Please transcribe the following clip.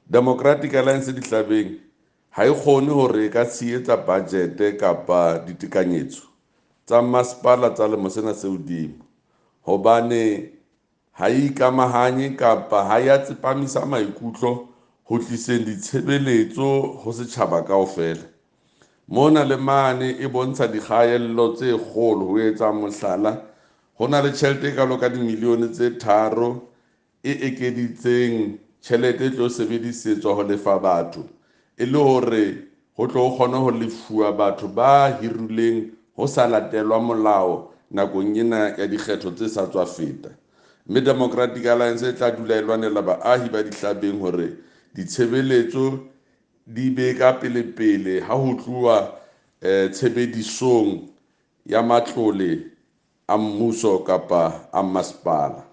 Democratic Alliance Dihlabeng ha e kgone hore e ka tshehetsa budget kapa ditekanyetso tsa masepala tsa lemo sena se hodimo, hobane ha e ikamahanye kapa ha ya tsepamisa maikutlo ho tliseng ditshebeletso ho setjhaba kaofela. Mona le mane e bontsha dikgaello tse kgolo. Ho etsa mohlala, ho na le tjhelete e kalo ka dimilione tse 3 e ekeditseng tjhelete e tlo sebedisetswa ho lefa batho, e le hore ho tlo kgone ho lefuwa batho ba hirilweng ho sa latelwa molao nakong ena ya dikgetho tse sa tswa feta. Mme Democratic Alliance e tla dula e lwanela baahi ba Dihlabeng hore ditshebeletso di be ka pele-pele ha ho tluwa tshebedisong ya matlole a mmuso kapa a masepala.